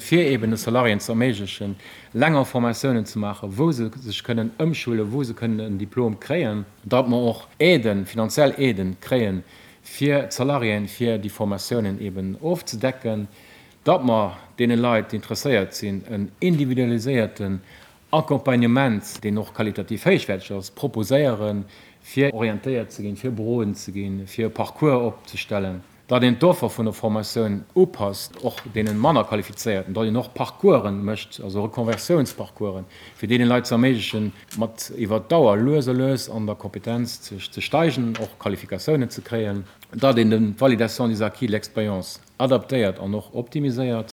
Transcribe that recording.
fir eben de Salariéen ze erméiglechen, länger Formatiounen ze maachen, wou se sech kënnen ëmschulen, wou se kënnen en Diplom kréien, datt mer och Aiden, finanziell Aiden kréien fir d'Salariéen, fir déi Formatiounen eben ofzedecken, datt mer deene Leit, déi interesséiert sinn, en individualiséierten Accompagnement, deen och qualitativ héichwäerteg ass, proposéieren, fir orientéiert ze ginn, fir beroden ze ginn, fir e Parcours opzestellen, datt een d'Offer vun der Formatioun upasst, och deene manner Qualifizéierten, datt een och Parcoursen mécht, also Reconversiounsparcoursen, fir deene Leit ze erméiglechen, mat iwwer d'Dauer lues a lues an der Kompetenz ze steigen, och Qualifikatiounen ze kréien, datt een d'Validation des acquis de l'expérience adaptéiert an och optimiséiert.